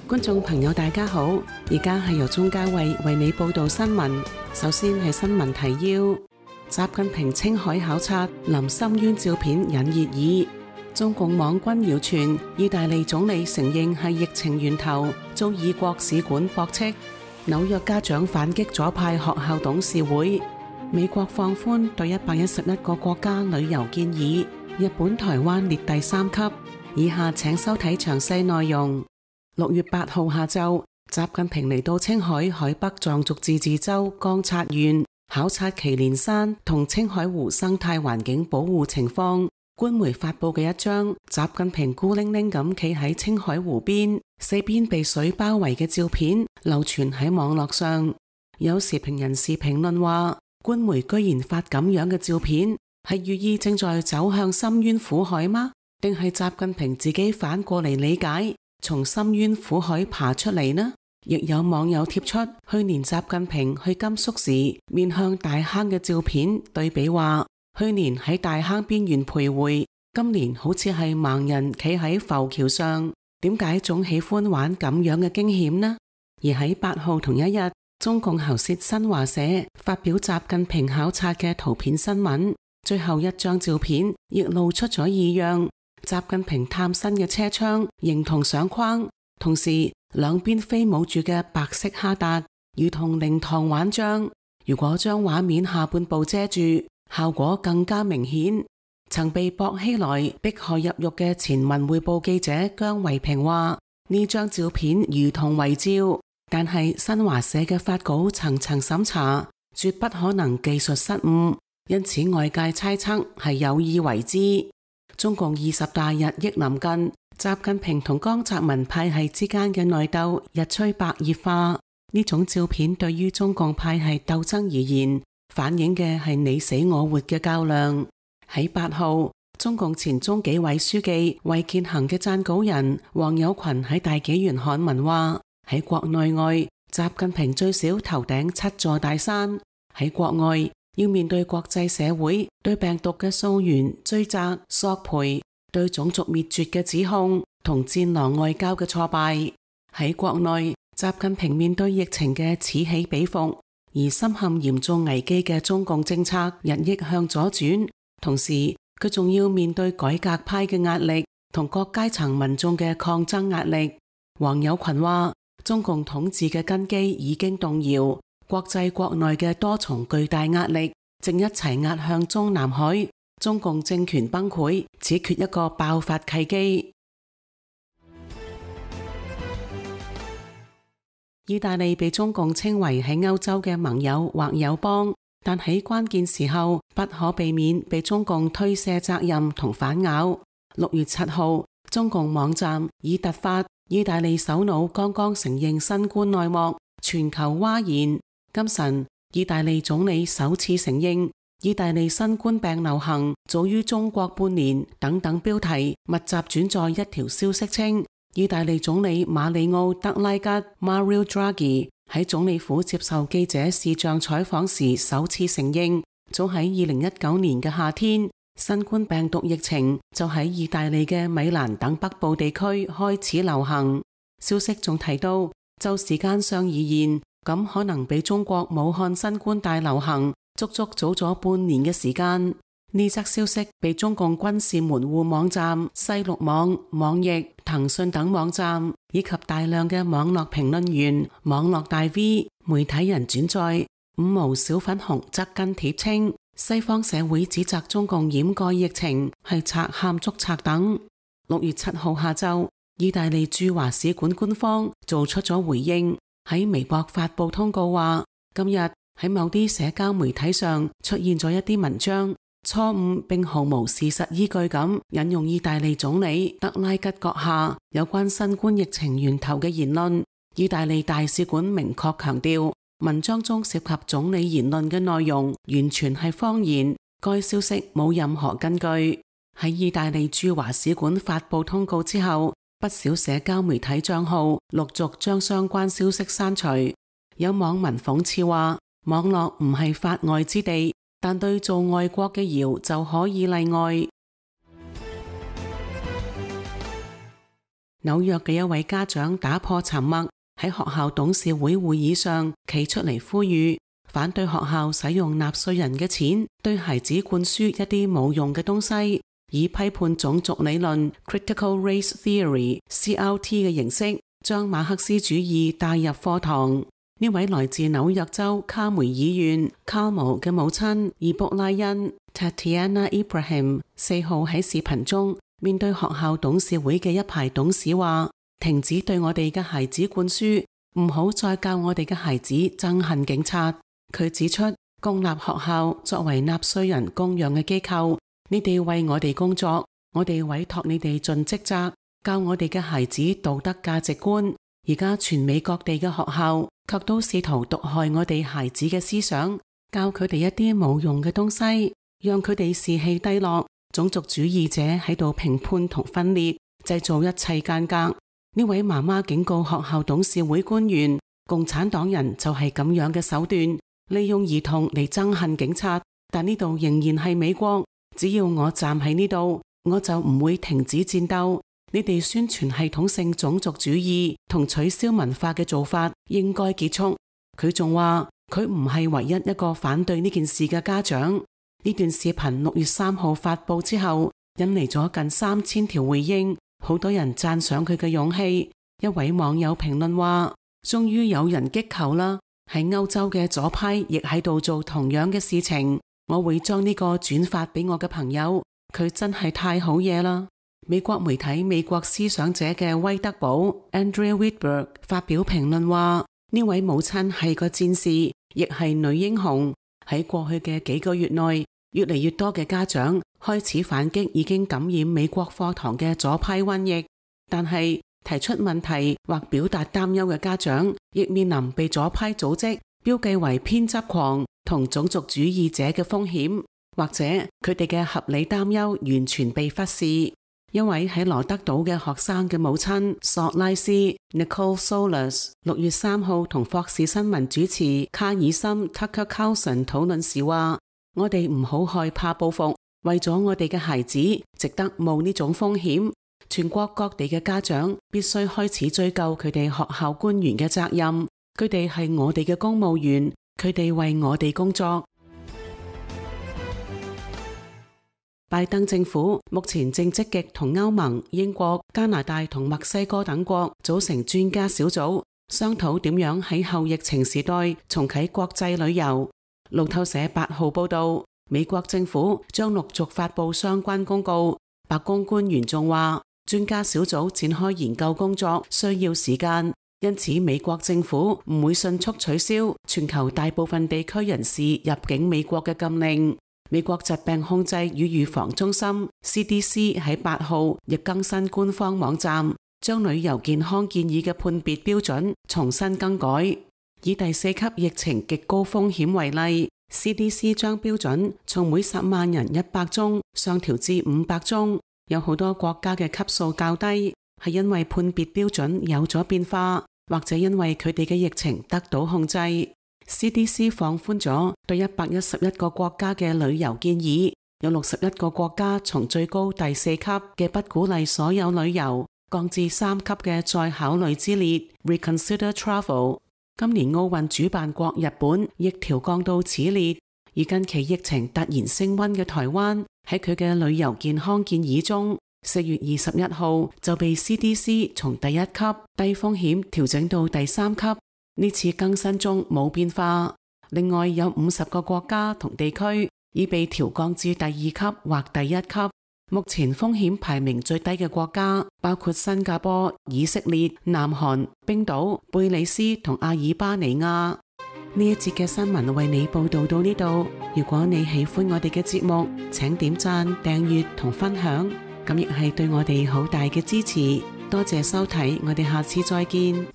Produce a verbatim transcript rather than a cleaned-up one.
觀眾朋友大家好，而家係由鍾嘉慧為你報道新聞。首先係新聞提要：習近平青海考察臨深淵照片引熱議。中共網軍謠傳意大利總理承認係疫情源頭，遭異國使館駁斥。紐約家長反擊左派學校董事會。美國放寬對一百一十一個國家旅遊建議，日本、台灣列第三級。以下請收睇詳細內容。六月八號下晝，習近平嚟到青海海北藏族自治州江察縣，考察祁連山同青海湖生態環境保護情況。官媒發佈嘅一張習近平孤零零咁企喺青海湖邊，四邊被水包圍嘅照片流傳喺網絡上。有時評人士評論話，官媒居然發咁樣嘅照片，係寓意正在走向深淵苦海嗎？定係習近平自己反過嚟理解，從深淵苦海爬出嚟呢？亦有網友貼出去年習近平去甘肅時面向大坑嘅照片，對比話去年喺大坑邊緣徘徊，今年好似係盲人企喺浮橋上，點解總喜歡玩咁樣嘅驚險呢？而喺八號同一日，中共喉舌新華社發表習近平考察嘅圖片新聞，最後一張照片亦露出咗異樣。習近平探身嘅車窗形同相框，同時兩邊飛舞住嘅白色哈達如同靈堂玩像。如果將畫面下半部遮住，效果更加明顯。曾被薄熙來迫害入獄嘅前文匯報記者姜維平話，呢張照片如同遺照，但係新華社嘅發稿層層審查，絕不可能技術失誤，因此外界猜測係有意為之。中共二十大日益臨近，習近平同江澤民派系之間嘅內鬥日趨白熱化。呢種照片對於中共派系鬥爭而言，反映嘅係你死我活嘅較量。喺八號，中共前中紀委書記衛健行嘅撰稿人王友群喺大紀元刊文話，喺國內外，習近平最少頭頂七座大山。喺國外，要面對國際社會對病毒嘅溯源、追責、索賠，對種族滅絕嘅指控同戰狼外交嘅挫敗。喺國內，習近平面對疫情嘅此起彼伏，而深陷嚴重危機嘅中共政策日益向左轉，同時佢仲要面對改革派嘅壓力同各階層民眾嘅抗爭壓力。王友群話，中共統治嘅根基已經動搖，國際國內嘅多重巨大壓力正一齊壓向中南海，中共政權崩潰只缺一個爆發契機。意大利被中共稱為喺歐洲嘅盟友或友邦，但喺關鍵時候不可避免被中共推卸責任同反咬。六月七號，中共網站以突發意大利首腦剛剛承認新冠內幕，全球譁然。今晨，意大利總理首次承認意大利新冠病流行早於中國半年等等標題密集轉載一條消息稱，意大利總理馬里奧德拉吉 Mario Draghi 喺總理府接受記者視像採訪時首次承認，早喺二零一九年嘅夏天，新冠病毒疫情就喺意大利嘅米蘭等北部地區開始流行。消息仲提到，就時間上而言，咁可能比中國武漢新冠大流行足足早咗半年嘅時間。呢則消息被中共軍事門戶網站西六網、網易、騰訊等網站以及大量嘅網絡評論員、網絡大 V、媒體人轉載。五毛小粉紅則跟帖稱，西方社會指責中共掩蓋疫情係賊喊捉賊等。六月七號下晝，意大利駐華使館官方做出咗回應，喺微博發布通告話，今日喺某啲社交媒體上出現咗一啲文章，錯誤並毫無事實依據咁引用意大利總理德拉吉閣下有關新冠疫情源頭嘅言論。意大利大使館明確強調，文章中涉及總理言論嘅內容完全係謊言，該消息冇任何根據。喺意大利駐華使館發布通告之後，不少社交媒體賬號陸續將相關消息刪除。有網民諷刺話，網絡唔係法外之地，但對做外國嘅謠就可以例外。紐約嘅一位家長打破沉默，喺學校董事會會議上企出嚟呼籲，反對學校使用納稅人嘅錢對孩子灌輸一啲冇用嘅東西，以批判種族理論 Critical Race Theory C R T 嘅形式，將馬克思主義帶入課堂。呢位來自紐約州卡梅爾縣卡姆嘅母親伊卜拉欣 Tatiana Ibrahim 四號喺視頻中面對學校董事會嘅一排董事話，停止對我哋嘅孩子灌輸，唔好再教我哋嘅孩子憎恨警察。佢指出，公立學校作為納稅人供養嘅機構，你哋為我哋工作，我哋委託你哋盡職責，教我哋嘅孩子道德價值觀。而家全美各地嘅學校卻都試圖毒害我哋孩子嘅思想，教佢哋一啲冇用嘅東西，讓佢哋士氣低落。種族主義者喺度評判同分裂，製造一切間隔。呢位媽媽警告學校董事會官員，共產黨人就係咁樣嘅手段，利用兒童嚟憎恨警察。但呢度仍然係美國，只要我站喺呢度，我就唔會停止戰鬥。你哋宣傳系統性種族主義同取消文化嘅做法應該結束。佢仲話佢唔係唯一一個反對呢件事嘅家長。呢段視頻六月三號發佈之後，引嚟咗近三千條回應，好多人讚賞佢嘅勇氣。一位網友評論話：終於有人擊球啦！喺歐洲嘅左派亦喺度做同樣嘅事情。我會將呢個轉發俾我嘅朋友，佢真係太好嘢啦！美國媒體美國思想者嘅威德堡 Andrea Whitberg 發表評論話：呢位母親係個戰士，亦係女英雄。喺過去嘅幾個月內，越嚟越多嘅家長開始反擊已經感染美國課堂嘅左派瘟疫，但係提出問題或表達擔憂嘅家長，亦面臨被左派組織標記為偏執狂同種族主義者嘅風險，或者佢哋嘅合理擔憂完全被忽視。一位喺羅德島嘅學生嘅母親索拉斯 Nicole Solas 六月三號同霍士新聞主持卡爾森 Tucker Carlson 討論時話：我哋唔好害怕報復，為咗我哋嘅孩子，值得冒呢種風險。全國各地嘅家長必須開始追究佢哋學校官員嘅責任，佢哋係我哋嘅公務員，佢哋為我哋工作。拜登政府目前正積極同歐盟、英國、加拿大同墨西哥等國組成專家小組，商討點樣喺後疫情時代重啟國際旅遊。路透社八號報道，美國政府將陸續發佈相關公告。白宮官員仲話，專家小組展開研究工作需要時間，因此美國政府唔會迅速取消全球大部分地區人士入境美國嘅禁令。美國疾病控制與預防中心 C D C 喺八號亦更新官方網站，將旅遊健康建議嘅判別標準重新更改。以第四級疫情極高風險為例， C D C 將標準從每十萬人一百宗上調至五百宗。有好多國家嘅級數較低，係因為判別標準有咗變化，或者因為佢哋嘅疫情得到控制。C D C 放寬咗對一百一十一個國家嘅旅遊建議，有六十一個國家從最高第四級嘅不鼓勵所有旅遊降至三級嘅再考慮之列 Reconsider Travel。 今年奧運主辦國日本亦調降到此列，而近期疫情突然升溫嘅台灣喺佢嘅旅遊健康建議中，四月二十一號就被 C D C 從第一級低風險調整到第三級。呢次更新中冇變化。另外有五十個國家同地區已被調降至第二級或第一級。目前風險排名最低嘅國家包括新加坡、以色列、南韓、冰島、貝里斯同阿爾巴尼亞。呢一節嘅新聞為你報道到呢度。如果你喜歡我哋嘅節目，請點讚、訂閱同分享，咁亦係對我哋好大嘅支持。多謝收睇，我哋下次再見。